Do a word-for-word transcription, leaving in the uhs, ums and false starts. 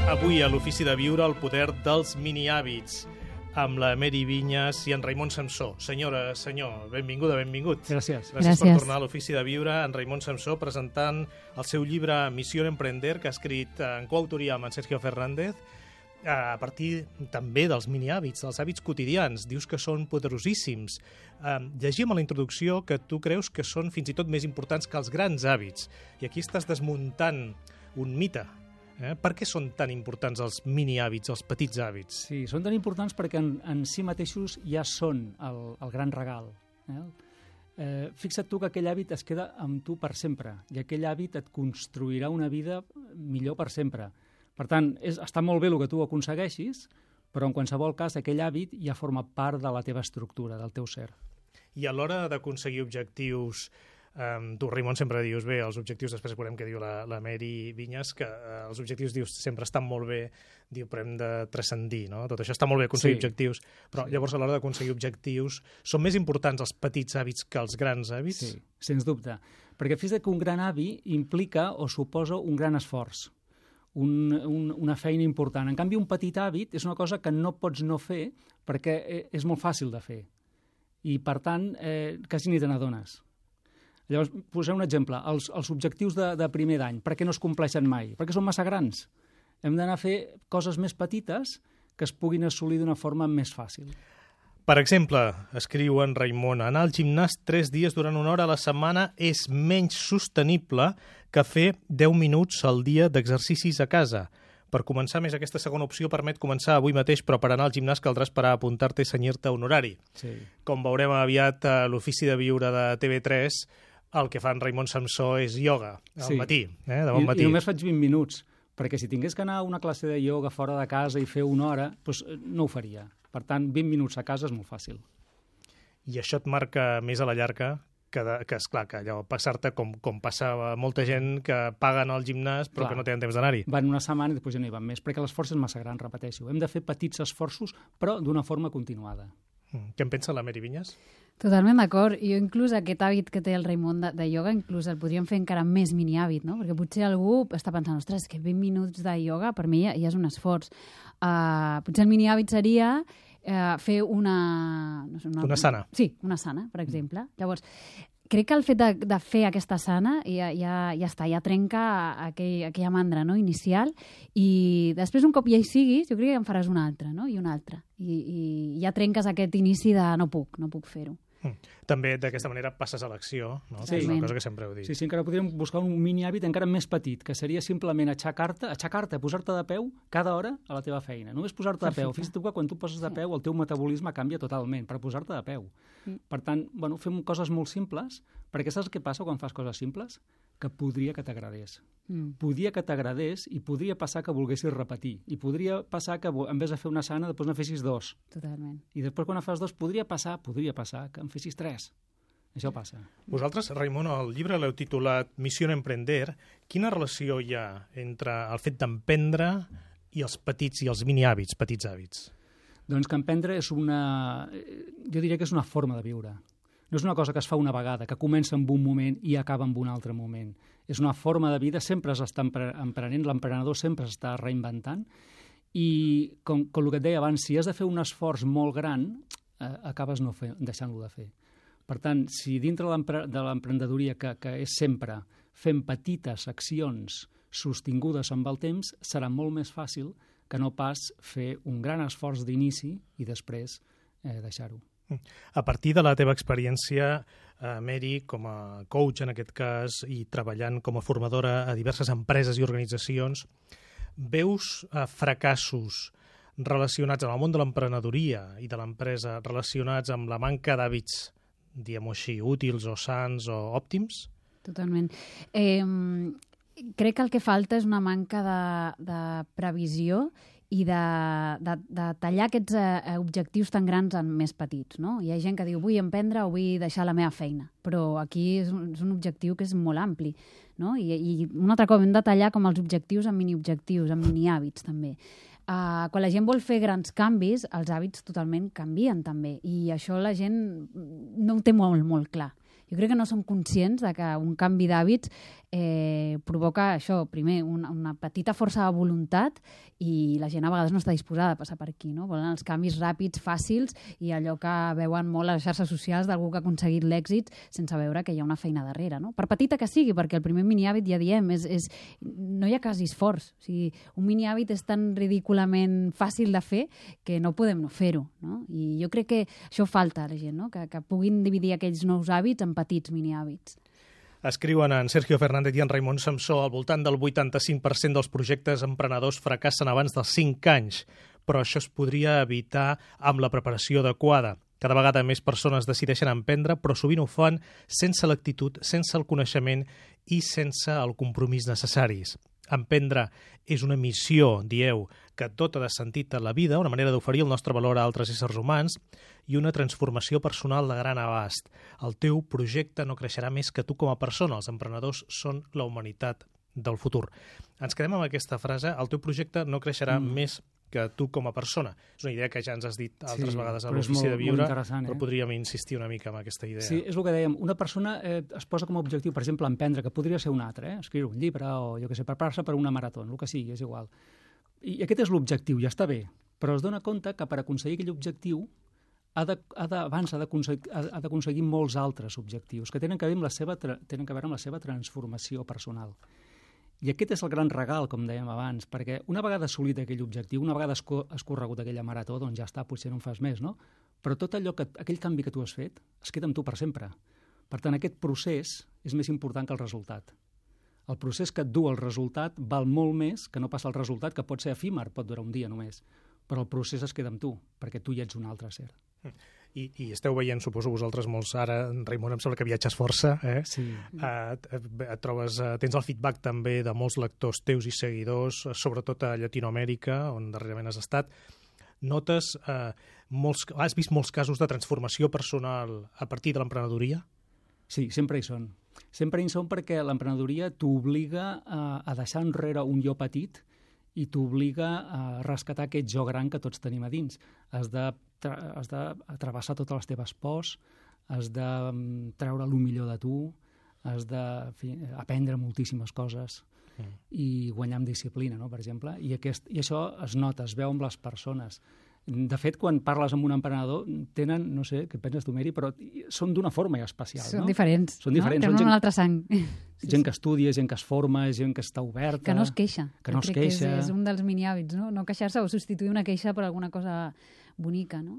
Avui a l'Ofici de Viure el poder dels mini-hàbits amb la Mary Vinyes i en Raimon Samsó. Senyora, senyor, benvinguda, benvingut. Gràcies. Gràcies, Gràcies. per tornar a l'Ofici de Viure. En Raimon Samsó presentant el seu llibre Missió Emprender, que ha escrit en coautoria amb en Sergio Fernández, a partir també dels mini-hàbits, dels hàbits quotidians. Dius que són poderosíssims. Eh, llegim a la introducció que tu creus que són fins i tot més importants que els grans hàbits. I aquí estàs desmuntant un mite. Eh? Per què són tan importants els mini-hàbits, els petits hàbits? Sí, són tan importants perquè en, en si mateixos ja són el, el gran regal. Eh? Eh, fixa't tu que aquell hàbit es queda amb tu per sempre i aquell hàbit et construirà una vida millor per sempre. Per tant, és, està molt bé el que tu aconsegueixis, però en qualsevol cas aquell hàbit ja forma part de la teva estructura, del teu ser. I a l'hora d'aconseguir objectius, Um, tu, Raimon, sempre dius, bé, els objectius, després veurem què diu la, la Mary Vinyes, que uh, els objectius, dius, sempre estan molt bé, diu, però hem de transcendir, no? Tot això està molt bé, aconseguir Sí. objectius, però Sí. llavors a l'hora d'aconseguir objectius són més importants els petits hàbits que els grans hàbits? Sí, sens dubte. Perquè fixa't que un gran hàbit implica o suposa un gran esforç, un, un, una feina important. En canvi, un petit hàbit és una cosa que no pots no fer perquè eh, és molt fàcil de fer. I, per tant, eh, quasi ni te n'adones. Llavors, posem un exemple. Els, els objectius de, de primer d'any, per què no es compleixen mai? Perquè són massa grans. Hem d'anar a fer coses més petites que es puguin assolir d'una forma més fàcil. Per exemple, escriu en Raimon, anar al gimnàs tres dies durant una hora a la setmana és menys sostenible que fer deu minuts al dia d'exercicis a casa. Per començar, més aquesta segona opció permet començar avui mateix, però per anar al gimnàs caldrà esperar a apuntar-te i cenyir-te un horari. Sí. Com veurem aviat a l'Ofici de Viure de T V tres, el que fa en Raimon Samsó és ioga, al Sí. matí, eh, de bon I, matí. I només faig vint minuts, perquè si tingués que anar a una classe de ioga fora de casa i fer una hora, doncs no ho faria. Per tant, vint minuts a casa és molt fàcil. I això et marca més a la llarga que, de, que esclar, que allò passar-te com, com passava molta gent que paguen al gimnàs però Clar. que no tenen temps d'anar-hi. Van una setmana i després ja no hi van més, perquè l'esforç és massa gran, repeteixo. Hem de fer petits esforços, però d'una forma continuada. Mm. Què en pensa la Mary Vinyes? Totalment d'acord. Jo inclús aquest hàbit que té el Raimon de, de ioga, inclús el podríem fer encara més mini-hàbit, no? Perquè potser algú està pensant, ostres, que vint minuts de ioga per mi ja, ja és un esforç. Uh, potser el mini-hàbit seria uh, fer una... No sé, una... Una sana. Sí, una sana, per exemple. Llavors, crec que el fet de, de fer aquesta sana ja, ja, ja està, ja trenca aquell, aquella mandra, no?, inicial, i després un cop ja hi siguis, jo crec que en faràs una altra, no?, i una altra. I, i ja trenques aquest inici de no puc, no puc fer-ho. Mm. També d'aquesta manera passes a l'acció, no? Sí. Que és una cosa que sempre heu dit. Sí, sí, encara podríem buscar un mini-hàbit encara més petit, que seria simplement aixecar-te, aixecar-te, posar-te de peu cada hora a la teva feina. Només posar-te de peu. Perfecte. Fixa't que quan tu poses de peu el teu metabolisme canvia totalment per posar-te de peu. Mm. Per tant, bueno, fem coses molt simples, perquè saps què passa quan fas coses simples? Que podria que t'agradés. Mm. Podria que t'agradés i podria passar que volguessis repetir. I podria passar que en vez de fer una sana, després ne fessis dos. Totalment. I després quan en fas dos, podria passar, podria passar que en fessis tres. Això passa. Vosaltres, Raimon, el llibre l'heu titulat Missió Emprender. Quina relació hi ha entre el fet d'emprendre i els petits i els mini-hàbits, petits hàbits? Doncs que emprendre és una... Jo diria que és una forma de viure. No és una cosa que es fa una vegada, que comença en un moment i acaba en un altre moment. És una forma de vida, sempre s'està emprenent, l'emprenedor sempre s'està reinventant, i com, com el que et deia abans, si has de fer un esforç molt gran, eh, acabes no fer, deixant-lo de fer. Per tant, si dintre de l'emprenedoria, que, que és sempre fent petites accions sostingudes amb el temps, serà molt més fàcil que no pas fer un gran esforç d'inici i després eh, deixar-ho. A partir de la teva experiència, eh, Mary, com a coach en aquest cas, i treballant com a formadora a diverses empreses i organitzacions, veus eh, fracassos relacionats amb el món de l'emprenedoria i de l'empresa, relacionats amb la manca d'hàbits, diguem-ho així, útils o sants o òptims? Totalment. Eh, crec que el que falta és una manca de, de previsió i de, de, de tallar aquests eh, objectius tan grans en més petits, no? Hi ha gent que diu vull emprendre o vull deixar la meva feina, però aquí és un, és un objectiu que és molt ampli, no? I, i un altre cop hem de tallar com els objectius en mini-objectius, en mini-hàbits també. Uh, quan la gent vol fer grans canvis, els hàbits totalment canvien també, i això la gent no ho té molt, molt clar. Jo crec que no som conscients de que un canvi d'hàbits eh, provoca això, primer, una, una petita força de voluntat i la gent a vegades no està disposada a passar per aquí, no? Volen els canvis ràpids, fàcils i allò que veuen molt a les xarxes socials d'algú que ha aconseguit l'èxit sense veure que hi ha una feina darrere, no? Per petita que sigui, perquè el primer mini-hàbit, ja diem, és, és, no hi ha quasi esforç. O sigui, un mini-hàbit és tan ridículament fàcil de fer que no podem no fer-ho, no? I jo crec que això falta a la gent, no? Que, que puguin dividir aquells nous hàbits en petits mini-hàbits. Escriuen en Sergio Fernández i en Raimon Samsó al voltant del vuitanta-cinc per cent dels projectes emprenedors fracassen abans dels cinc anys, però això es podria evitar amb la preparació adequada. Cada vegada més persones decideixen emprendre, però sovint ho fan sense l'actitud, sense el coneixement i sense el compromís necessaris. Emprendre és una missió, dieu, que tot ha de sentit a la vida, una manera d'oferir el nostre valor a altres éssers humans i una transformació personal de gran abast. El teu projecte no creixerà més que tu com a persona. Els emprenedors són la humanitat del futur. Ens quedem amb aquesta frase, el teu projecte no creixerà mm. més que tu com a persona. És una idea que ja ens has dit altres sí, vegades a l'Ofici de Viure, eh? Però podríem insistir una mica en aquesta idea. Sí, és el que dèiem. Una persona eh, es posa com a objectiu, per exemple, emprendre, que podria ser un altre, eh? Escriure un llibre o, jo què sé, preparar-se per una marató, el que sigui, és igual. I aquest és l'objectiu, ja està bé, però es dona compte que per aconseguir aquell objectiu ha de, ha de, abans ha d'aconseguir molts altres objectius que tenen que veure amb la seva, tenen que veure amb la seva transformació personal. I aquest és el gran regal, com dèiem abans, perquè una vegada assolit aquell objectiu, una vegada has corregut aquella marató, doncs ja està, potser no en fas més, no? Però tot allò que, aquell canvi que tu has fet, es queda amb tu per sempre. Per tant, aquest procés és més important que el resultat. El procés que et du al resultat val molt més que no pas el resultat, que pot ser efímer, pot durar un dia només. Però el procés es queda amb tu, perquè tu ja ets un altre ser. I, i esteu veient, suposo, vosaltres molts ara, Raimon, em sembla que viatges força, eh? Sí. Uh, et, et trobes, uh, tens el feedback també de molts lectors teus i seguidors, sobretot a Llatinoamèrica, on darrerament has estat. Notes, uh, molts, has vist molts casos de transformació personal a partir de l'emprenedoria? Sí, sempre hi són. Sempre hi són perquè l'emprenedoria t'obliga a, a deixar enrere un jo petit i t'obliga a rescatar aquest jo gran que tots tenim a dins. Has de, has de travessar totes les teves pors, has de treure el millor de tu, has d'aprendre moltíssimes coses mm. i guanyar amb disciplina, no?, per exemple. I, aquest, I això es nota, es veu amb les persones. De fet, quan parles amb un emprenedor, tenen, no sé, què penses tu, Meri, però són d'una forma especial, són no? Diferents, són diferents. No? Tenen gent, una altra sang. Sí, gent que estudia, gent que es forma, gent que està oberta. Que no es queixa. Que no es queixa. Que és, és un dels mini-hàbits, no? No queixar-se o substituir una queixa per alguna cosa bonica, no?